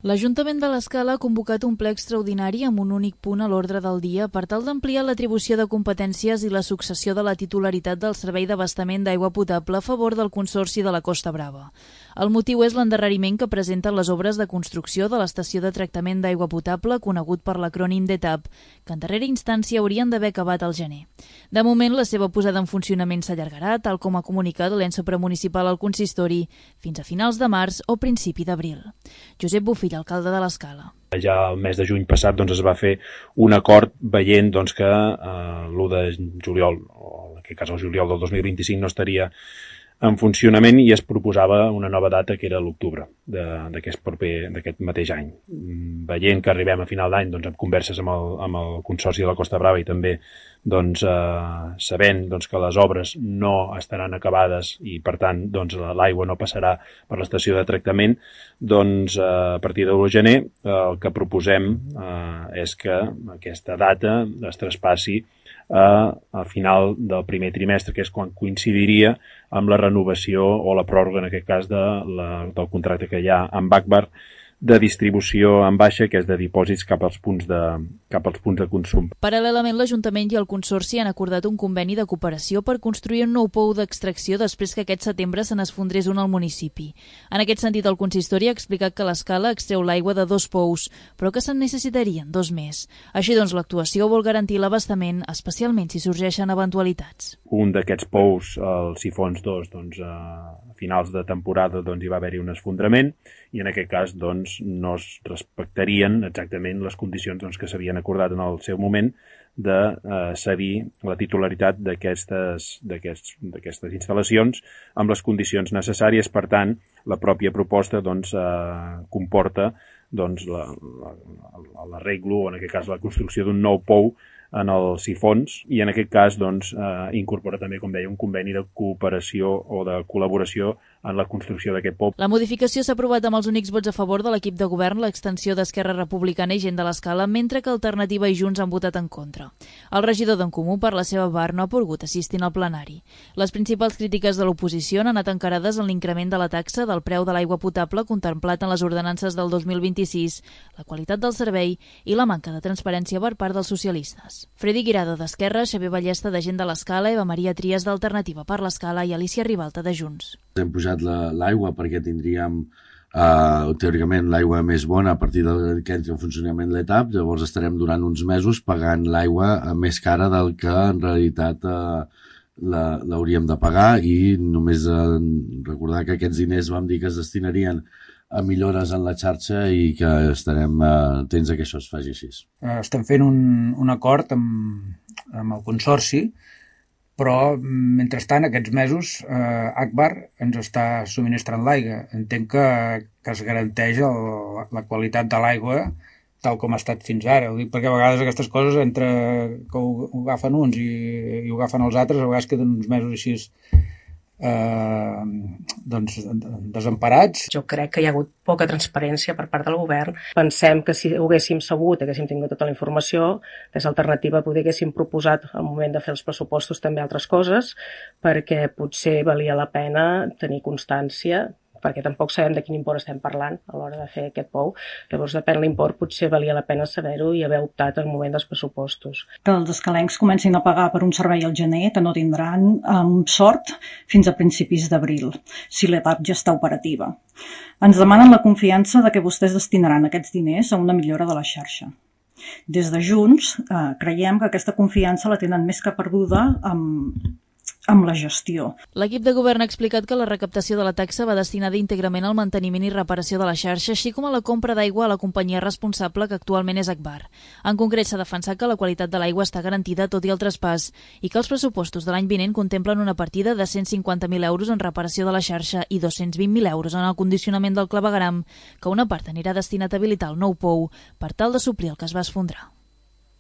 L'Ajuntament de l'Escala ha convocat un ple extraordinari amb un únic punt a l'ordre del dia per tal d'ampliar l'atribució de competències i la successió de la titularitat del servei d'abastament d'aigua potable a favor del Consorci de la Costa Brava. El motiu és l'endarreriment que presenten les obres de construcció de l'estació de tractament d'aigua potable, conegut per l'acrònim d'ETAP, que en darrera instància haurien d'haver acabat al gener. De moment, la seva posada en funcionament s'allargarà, tal com ha comunicat l'ENSA premunicipal al consistori, fins a finals de març o principi d'abril. Josep Bofill, alcalde de l'Escala. Ja el mes de juny passat es va fer un acord veient que l'1 de juliol, o en aquest cas el juliol del 2025, no estaria en funcionament i es proposava una nova data que era l'octubre d'aquest mateix any. Veient que arribem a final d'any amb converses amb el Consorci de la Costa Brava i també sabent que les obres no estaran acabades i per tant l'aigua no passarà per l'estació de tractament, a partir de l'1 de gener el que proposem és que aquesta data es traspassi a final del primer trimestre, que és quan coincidiria amb la renovació o la pròrroga, en aquest cas, del contracte que hi ha amb Agbar de distribució en baixa, que és de dipòsits cap als punts de consum. Paral·lelament, l'Ajuntament i el Consorci han acordat un conveni de cooperació per construir un nou pou d'extracció després que aquest setembre se n'esfondrés un al municipi. En aquest sentit, el consistori ha explicat que l'Escala extreu l'aigua de 2 pous, però que se'n necessitarien 2 més. Així doncs, l'actuació vol garantir l'abastament, especialment si sorgeixen eventualitats. Un d'aquests pous, el Sifons 2, a finals de temporada hi va haver-hi un esfondrament i en aquest cas no es respectarien exactament les condicions que s'havien acordat en el seu moment de cedir la titularitat d'aquestes instal·lacions amb les condicions necessàries. Per tant, la pròpia proposta comporta l'arreglo, o en aquest cas la construcció d'un nou pou en el Sifons, i en aquest cas incorpora també, com deia, un conveni de cooperació o de col·laboració en la construcció d'aquest pou. La modificació s'ha aprovat amb els únics vots a favor de l'equip de govern, l'extensió d'Esquerra Republicana i Gent de l'Escala, mentre que Alternativa i Junts han votat en contra. El regidor d'en Comú, per la seva part, no ha pogut assistir al plenari. Les principals crítiques de l'oposició han anat encarades en l'increment de la taxa del preu de l'aigua potable contemplat en les ordenances del 2026, la qualitat del servei i la manca de transparència per part dels socialistes. Freddy Guirado d'Esquerra, Xavier Ballesta de Gent de l'Escala, Eva Maria Trias d'Alternativa per l'Escala i Alicia Ribalta de Junts. Hem pujat l'aigua perquè tindríem teòricament l'aigua més bona a partir que entri en funcionament l'ETAP, llavors estarem durant uns mesos pagant l'aigua més cara del que en realitat l'hauríem de pagar, i només recordar que aquests diners vam dir que es destinarien a millores en la xarxa i que estarem atents a que això es faci així. Estem fent un acord amb el Consorci, però mentrestant aquests mesos Agbar ens està subministrant l'aigua. Entenc que es garanteix la qualitat de l'aigua tal com ha estat fins ara. Ho dic perquè a vegades aquestes coses, entre que ho agafen uns i ho agafen els altres, a vegades queden uns mesos així desemparats. Jo crec que hi ha hagut poca transparència per part del govern. Pensem que si ho haguéssim sabut, haguéssim tingut tota la informació, des d'Alternativa poder haguéssim proposat al moment de fer els pressupostos també altres coses, perquè potser valia la pena tenir constància, perquè tampoc sabem de quin import estem parlant a l'hora de fer aquest pou. Llavors, depèn de l'import, potser valia la pena saber-ho i haver optat al moment dels pressupostos. Que els escalencs comencin a pagar per un servei al gener que no tindran, amb sort, fins a principis d'abril, si l'ETAP ja està operativa. Ens demanen la confiança de que vostès destinaran aquests diners a una millora de la xarxa. Des de Junts, creiem que aquesta confiança la tenen més que perduda amb la gestió. L'equip de govern ha explicat que la recaptació de la taxa va destinada íntegrament al manteniment i reparació de la xarxa, així com a la compra d'aigua a la companyia responsable, que actualment és Agbar. En concret, s'ha defensat que la qualitat de l'aigua està garantida tot i el traspàs i que els pressupostos de l'any vinent contemplen una partida de 150.000 euros en reparació de la xarxa i 220.000 euros en el condicionament del clavegueram, que una part anirà destinat a habilitar el nou pou per tal de suplir el que es va esfondrar.